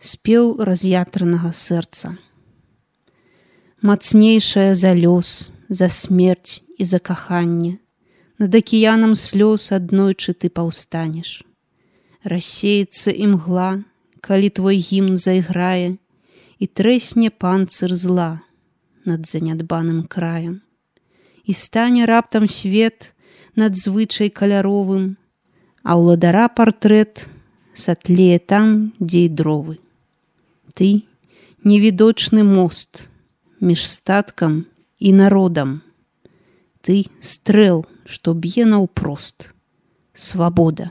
спеў раз'ятранага сэрца. Мацнейшая за лёс, за смерць і за каханне, над акіянам слёз аднойчы ты паўстанеш. Рассеецца імгла, калі твой гімн зайграе, і трэсне панцыр зла над занядбаным краем. І стане раптам свет надзвычай каляровым, а ўладара партрэт сатлее там, дзе і дровы. Ты — невідочны мост між статкам і народам. Ты — стрэл, што б'е наўпрост. Свабода.